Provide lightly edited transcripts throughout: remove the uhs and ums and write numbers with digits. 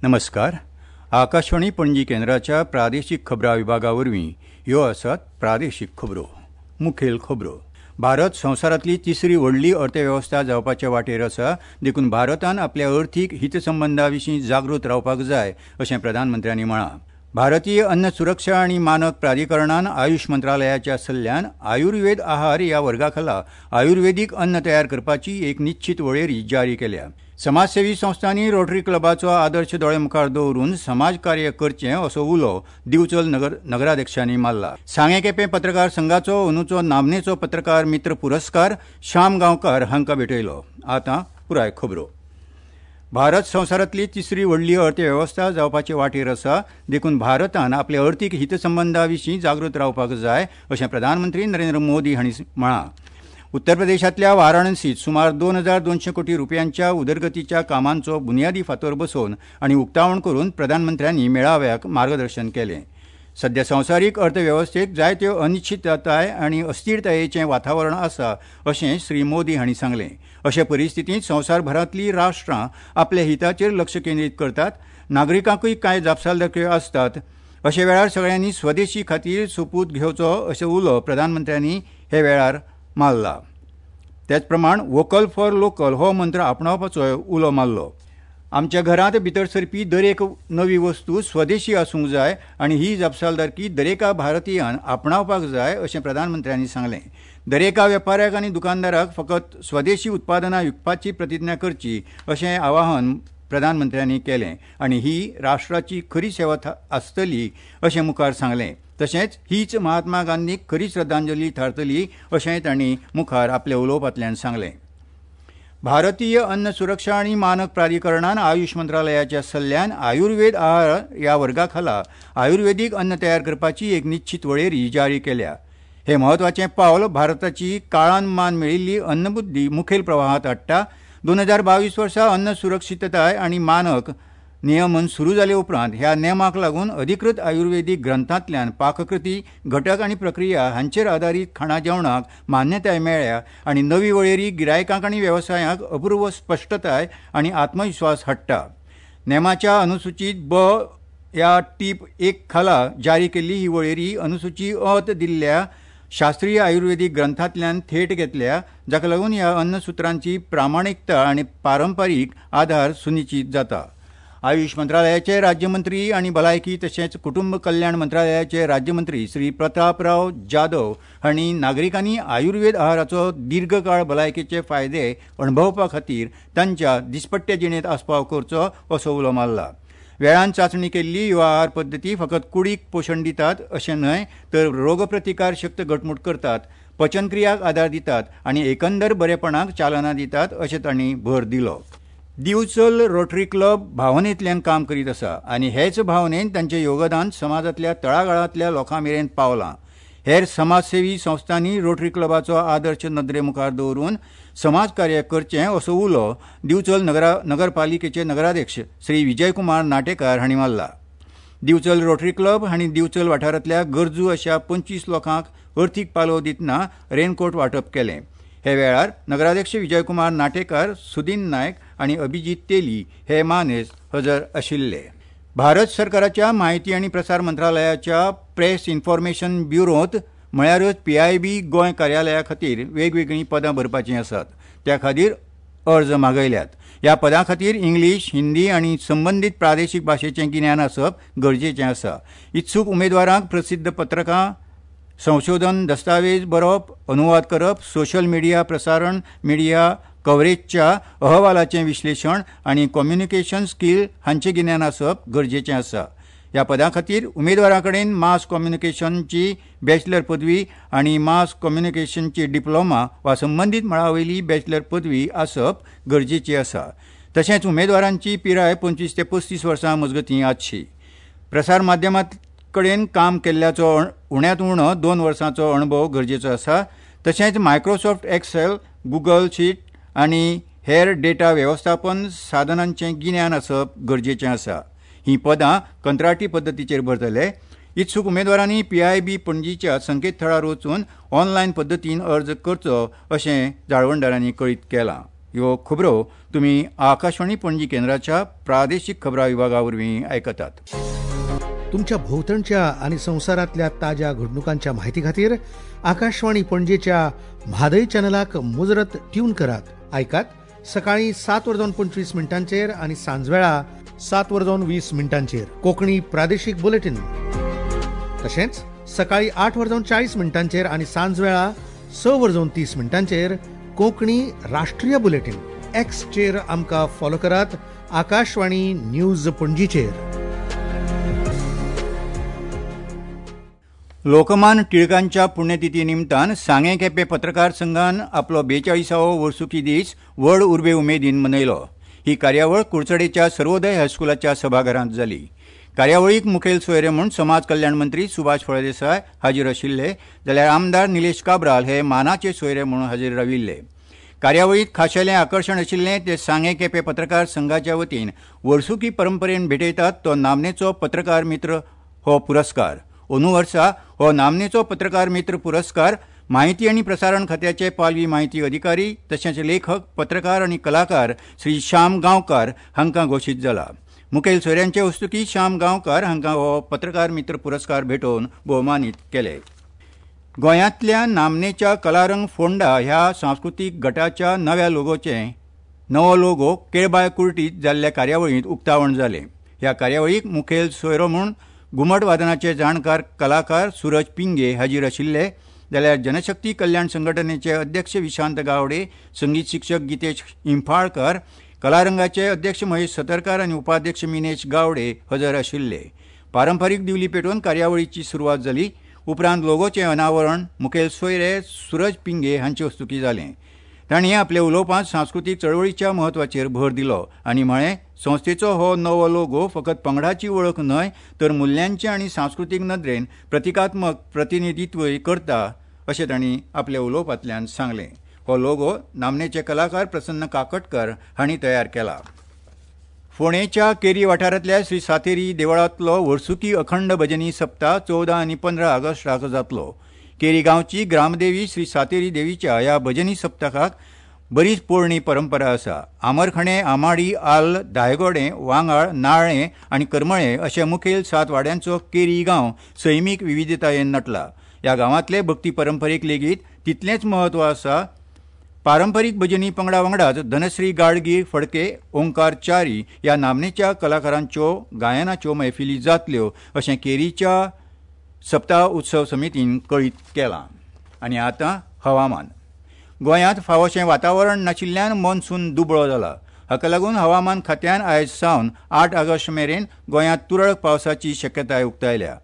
नमस्कार. आकाशवाणी पणजी केंद्राच्या प्रादेशीक खबरां विभागा वरवीं ह्यो आसात प्रादेशीक खबरो. मुखेल खबरो. भारत संवसारांतली तिसरी व्हडली अर्थवेवस्था जावपाचे वाटेर आसा, देखून भारतान आपल्या अर्थीक हितसंबंदा विशीं जागृत रावपाक जाय अशें प्रधानमंत्र्यांनी म्हळां. भारतीय अन्न सुरक्षा आनी मानक प्राधिकरणान आयुष मंत्रालयाच्या सल्ल्यान आयुर्वेद आहार ह्या वर्गाखाला आयुर्वेदीक अन्न तयार करपाची एक निश्चित वळेरी जारी केल्या. समाजसेवी संस्थांनी रोटरी क्लबाचो आदर्श दोळे मुखार दवरून समाजकार्य करचें असो उलो दिवचल नगराध्यक्षांनी मारला. सांगें केपें पत्रकार संघाचो अंदूचो नामनेचो पत्रकार मित्र पुरस्कार श्याम गांवकार हांकां भेटयलो. आतां पुराय खबरो. भारत संवसारांतली तिसरी व्हडली अर्थवेवस्था जावपाचे वाटेर आसा, देखून भारतान आपल्या अर्थीक हितसंबंदा विशीं जागृत रावपाक जाय अशें प्रधानमंत्री नरेंद्र मोदी हांणी म्हळां. उत्तर प्रदेशांतल्या वाराणसींत सुमार 2200 कोटी रुपयांच्या उदरगतीच्या कामांचो बुन्यादी फातर बसोवन आनी उक्तावण करून प्रधानमंत्र्यांनी मेळाव्याक मार्गदर्शन केलें. सध्या संवसारीक अर्थवेवस्थेक जायत्यो अनिश्चितताय आनी अस्थिरतायेचें वातावरण आसा अशें श्री मोदी हांणी सांगलें. अशे परिस्थितींत संवसारभरांतलीं राष्ट्रां आपल्या हिताचेर लक्ष केंद्रीत करतात, नागरिकांकूय कांय जापसालदारक्यो आसतात. अशे वेळार सगळ्यांनी स्वदेशी खातीर सोपूत घेवचो अशें उलो प्रधानमंत्र्यांनी हे वेळार मारला. तेच प्रमाण वोकल फॉर लोकल हो मंत्र आपणावपाचोय उलो मारलो. आमच्या घरांत भितर सरपी दरेक नवी वस्तू स्वदेशी आसूंक जाय आनी ही जापसालदारकी दरेका भारतीयान आपणावपाक जाय अशें प्रधानमंत्र्यांनी सांगलें. दरेका वेपाऱ्याक आनी दुकानदाराक फकत स्वदेशी उत्पादनां विकपाची प्रतिज्ञा करची अशें आवाहन प्रधानमंत्र्यांनी केलें आनी ही राष्ट्राची खरी सेवा आसतली अशें मुखार सांगलें. तशेंच हीच महात्मा गांधीक खरी श्रद्धांजली थारतली अशेंय तांणी मुखार आपल्या उलोवपांतल्यान सांगलें. भारतीय अन्न सुरक्षा आनी मानक प्राधिकरणान आयुष मंत्रालयाच्या सल्ल्यान आयुर्वेद आहार ह्या वर्गाखाला आयुर्वेदीक अन्न तयार करपाची एक निश्चित वळेरी जारी केल्या. हे म्हत्वाचें पावल भारताची काळान मान मेळिल्ली अन्नबुद्धी मुखेल प्रवाहांत हाडटा. 2022 वर्सा अन्न सुरक्षितताय आनी मानक नियमन सुरू जाले उपरांत ह्या नेमाक लागून अधिकृत आयुर्वेदीक ग्रंथांतल्यान पाककृती, घटक आनी प्रक्रिया हांचेर आदारीत खाणा जेवणाक मान्यताय मेळ्ळ्या आनी नवी वळेरी गिरायकांक आनी वेवसायांक अपूर्व स्पश्टताय आनी आत्मविस्वास हाडटा. नेमाच्या अनुसूचीत ब ह्या टीप 1 खाला जारी केल्ली ही वळेरी अनुसूची अ त दिल्ल्या शास्त्रीय आयुर्वेदीक ग्रंथांतल्यान थेट घेतल्या, जाका लागून ह्या अन्नसुत्रांची प्रामाणिकता आनी पारंपारीक आधार सुनिश्चित जाता. आयुष मंत्रालयाचे राज्यमंत्री आनी भलायकी तशेंच कुटुंब कल्याण मंत्रालयाचे राज्यमंत्री श्री प्रतापराव जाधव हांणी नागरिकांनी आयुर्वेद आहाराचो दीर्घकाळ भलायकेचे फायदे अणभवपा खातीर तांच्या दिसपट्ट्या जिणेंत आस्पाव करचो असो उलो मारला. वेळान चांचणी केल्ली ह्यो आहार पद्दती फकत कुडीक पोशण दितात अशें न्हय तर रोगप्रतिकार शक्त घटमूट करतात, पचनक्रियाक आदार दितात आनी एकंदर बरेपणाक चालना दितात अशें तांणी भर दिलो. दिवचल रोटरी क्लब भावनेंतल्यान काम करीत आसा आनी हेच भावनेन तांचें योगदान समाजांतल्या तळागाळांतल्या लोकां मेरेन पावलां. हेर समाजसेवी संस्थांनी रोटरी क्लबाचो आदर्श नदरे मुखार दवरून समाजकार्य करचें असो उलो दिवचल नगरपालिकेचे नगराध्यक्ष श्री विजयकुमार नाटेकार हांणी मारला. दिवचल रोटरी क्लब हांणी दिवचल वाठारांतल्या गरजू अशा 25 लोकांक अर्थीक पालव दितना रेनकोट वांटप केलें. हे वेळार नगराध्यक्ष विजयकुमार नाटेकार, सुदीन नायक आनी अभिजीत तेली हे मानेस्त हजर आशिल्ले. भारत सरकाराच्या म्हायती आनी प्रसार मंत्रालयाच्या प्रेस इन्फॉर्मेशन ब्युरोंत म्हळ्यारच PIB Goa कार्यालया खातीर वेगवेगळीं पदां भरपाचीं आसात. त्या खातीर अर्ज मागयल्यात. ह्या पदां खातीर इंग्लीश, हिंदी आनी संबंदीत प्रादेशीक भाशेचें गिन्यान आसप गरजेचें आसा. इत्सूक उमेदवारांक प्रसिद्ध पत्रकां, संशोधन दस्तावेज बरोवप, अनुवाद करप, सोशल मिडिया प्रसारण, मिडिया कव्हरेजच्या अहवालाचें विश्लेशण आनी कम्युनिकेशन स्कील हांचें गिन्यान आसप गरजेचें आसा. ह्या पदां खातीर उमेदवारां कडेन मास कम्युनिकेशनची बॅचलर पदवी आनी मास कम्युनिकेशनची डिप्लोमा वा संबंदीत मळा वयली बॅचलर पदवी आसप गरजेची आसा. तशेंच उमेदवारांची पिराय 25 ते 35 वर्सां मजगतीं आसची. प्रसार माध्यमां कडेन काम केल्ल्याचो उण्यांत उणो 2 वर्सांचो अणभव गरजेचो आसा. तशेंच मायक्रोसॉफ्ट एक्सेल, गुगल शीट आनी हेर डेटा वेवस्थापन साधनांचें गिन्यान आसप गरजेचें आसा. हीं पदां कंत्राटी पद्दतीचेर भरतले. इत्सूक उमेदवारांनी PIB पणजीच्या संकेतथळार वचून ऑनलायन पद्दतीन अर्ज करचो अशें जाळवणदारांनी कळीत केलां. ह्यो खबरो तुमी आकाशवाणी पणजी केंद्राच्या प्रादेशीक खबरां विभागा वरवीं आयकतात. तुमच्या भोंवतणच्या आनी संवसारांतल्या ताज्या घडणुकांच्या माहिती खातीर आकाशवाणी पणजेच्या म्हादय चॅनलाक मुजरत ट्यून करात. आयकात सकाळी 7:25 आनी सांजवेळा 7:20 कोंकणी प्रादेशीक बुलेटीन. तशेंच सकाळी 8:40 आनी सांजवेळा 6:30 कोंकणी राष्ट्रीय बुलेटीन. एक्सचेर आमकां फॉलो करात आकाशवाणी न्यूज पणजीचेर. लोकमान टिळकांच्या पुण्यतिथी निमतान सांगें केपें पत्रकार संघान आपलो 42वो वर्सुकी दीस व्हड उर्बे उमेदीन मनयलो. ही कार्यावळ कुडचडेच्या सर्वोदय हायस्कुलाच्या सभाघरांत जाली. कार्यावळीक मुखेल सोयरे म्हूण समाज कल्याण मंत्री सुभाष फळदेसाय हाजीर आशिल्ले, जाल्यार आमदार निलेश काब्राल हे मानाचे सोयरे म्हूण हाजीर राविल्ले. कार्यावळींत खाशेलें आकर्शण आशिल्लें ते सांगें केपें पत्रकार संघाच्या वतीन वर्सुकी परंपरेन भेटयतात तो नामनेचो पत्रकार मित्र हो पुरस्कार. अंदू वर्सा हो नामनेचो पत्रकार मित्र पुरस्कार माहिती आनी प्रसारण खात्याचे पालवी माहिती अधिकारी तशेंच लेखक, पत्रकार आनी कलाकार श्री श्याम गांवकार हांकां घोशीत जाला. मुखेल सोयऱ्यांचे हस्तुकीं श्याम गांवकार हांकां हो पत्रकार मित्र पुरस्कार भेटोवन भोवमानीत केले. गोंयांतल्या नामनेच्या कलारंग फोंडा ह्या सांस्कृतीक गटाच्या नव्या लोगोचें नवो लोगो केळबाय कुर्टीत जाल्ल्या कार्यावळींत उक्तावण जालें. ह्या कार्यावळीक मुखेल सोयरो म्हूण घुमट वादनाचे जाणकार कलाकार सूरज पिंगे हाजीर आशिल्ले, जाल्यार जनशक्ती कल्याण संघटनेचे अध्यक्ष विशांत गावडे, संगीत शिक्षक गीतेश इंफाळकर, कलारंगाचे अध्यक्ष महेश सतरकार आनी उपाध्यक्ष मिनेश गावडे हजर आशिल्ले. पारंपारीक दिवली पेटोवन कार्यावळीची सुरवात जाली. उपरांत लोगोचें अनावरण मुखेल सोयरे सूरज पिंगे हांचे हस्तुकीं जालें. तांणी आपल्या उलोवपांत सांस्कृतीक चळवळीच्या म्हत्वाचेर भर दिलो आनी म्हळें, संस्थेचो हो नवो लोगो फकत पंगडाची वळख न्हय तर मुल्यांचे आनी सांस्कृतीक नदरेन प्रतिकात्मक प्रतिनिधित्वय करता अशें तांणी आपल्या उलोवपांतल्यान सांगलें. हो लोगो नामनेचे कलाकार प्रसन्न काकटकर हांणी तयार केला. फोंडेच्या केरी वाठारांतल्या श्री सातेरी देवळांतलो वर्सुकी अखंड भजनी सप्ताह 14 आनी 15 ऑगस्टाक जातलो. केरी गांवची ग्रामदेवी श्री सातेरी देवीच्या ह्या भजनी सप्तकाक बरीच पोरणी परंपरा आसा. आमरखणे, आमाडी, आल, दायगोडे, वांगाळ, नाळें आनी करमळे अशे मुखेल 7 वाड्यांचो केरी गांव सैमीक विविधतायेन नटला. ह्या गांवांतले भक्ती परंपरेक लेगीत तितलेंच म्हत्व आसा. पारंपरीक भजनी पंगडा वांगडाच धनश्री गाडगीळ फडके, ओंकार च्यारी ह्या नामनेच्या कलाकारांच्यो गायनाच्यो मैफिली जातल्यो अशें केरीच्या सप्ताह उत्सव समितीन कळीत केलां. आनी आतां हवामान. गोंयांत फावोशें वातावरण नाशिल्ल्यान मॉन्सून दुबळो जाला. हाका लागून हवामान खात्यान आयज सावन 8 ऑगस्ट मेरेन गोंयांत तुरळक पावसाची शक्यताय उक्तायल्या.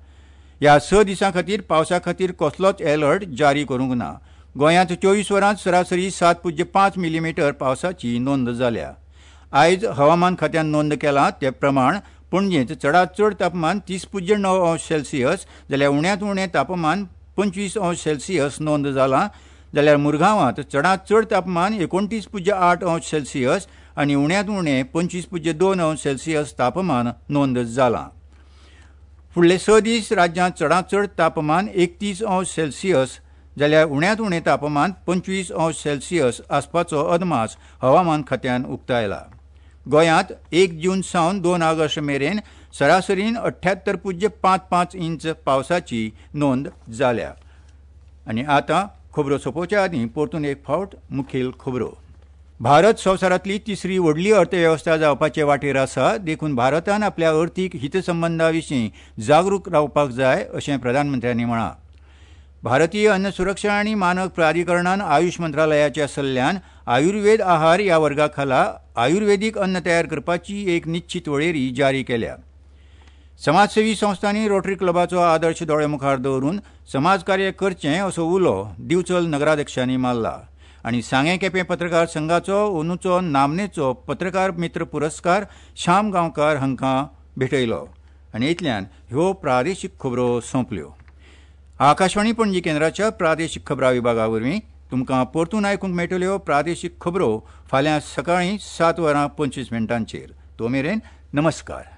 ह्या 6 दिसां खातीर पावसा खातीर कसलोच अलर्ट जारी करूंक ना. गोंयांत 24 वरांत सरासरी 7.5 मिलीमिटर पावसाची नोंद जाल्या. आयज हवामान खात्यान नोंद केलां ते प्रमाण पणजेंत चडांत चड तापमान 30.9 अंश सेल्सियस जाल्यार उण्यांत उणें तापमान 25 अंश सेल्सियस नोंद जालां. जाल्यार मुरगांवांत चडांत चड तापमान 29.8 अंश सेल्सियस आनी उण्यांत उणें 25.2 अंश सेल्सियस तापमान नोंद जालां. फुडले 6 दीस राज्यांत चडांत चड तापमान 31 अंश सेल्सियस जाल्यार उण्यांत उणें तापमान 25 अंश सेल्सियस आसपाचो अदमास हवामान खात्यान उक्तायला. गोंयांत 1 जून सावन 2 ऑगस्ट मेरेन सरासरीन 78.55 इंच पावसाची नोंद जाल्या. आनी आतां खबरो सोंपोवच्या आदीं परतून एक फावट मुखेल खबरो. भारत संवसारांतली तिसरी व्हडली अर्थवेवस्था जावपाचे वाटेर आसा, देखून भारतान आपल्या अर्थीक हितसंबंदा विशीं जागरूक रावपाक जाय अशें प्रधानमंत्र्यांनी म्हळां. भारतीय अन्न सुरक्षा आनी मानक प्राधिकरणान आयुष मंत्रालयाच्या सल्ल्यान आयुर्वेद आहार ह्या वर्गा खाला आयुर्वेदीक अन्न तयार करपाची एक निश्चित वळेरी जारी केल्या. समाजसेवी संस्थांनी रोटरी क्लबाचो आदर्श दोळे मुखार दवरून समाजकार्य करचें असो उलो दिवचल नगराध्यक्षांनी मारला. आनी सांगें केपें पत्रकार संघाचो अंदूचो नामनेचो पत्रकार मित्र पुरस्कार श्याम गांवकार हांकां भेटयलो. आनी इतल्यान ह्यो प्रादेशीक खबरो सोंपल्यो. आकाशवाणी पणजी केंद्राच्या प्रादेशीक खबरां विभागा वरवीं तुमकां परतून आयकूंक मेळटल्यो प्रादेशीक खबरो फाल्यां सकाळीं 7:25. तो मेरेन नमस्कार.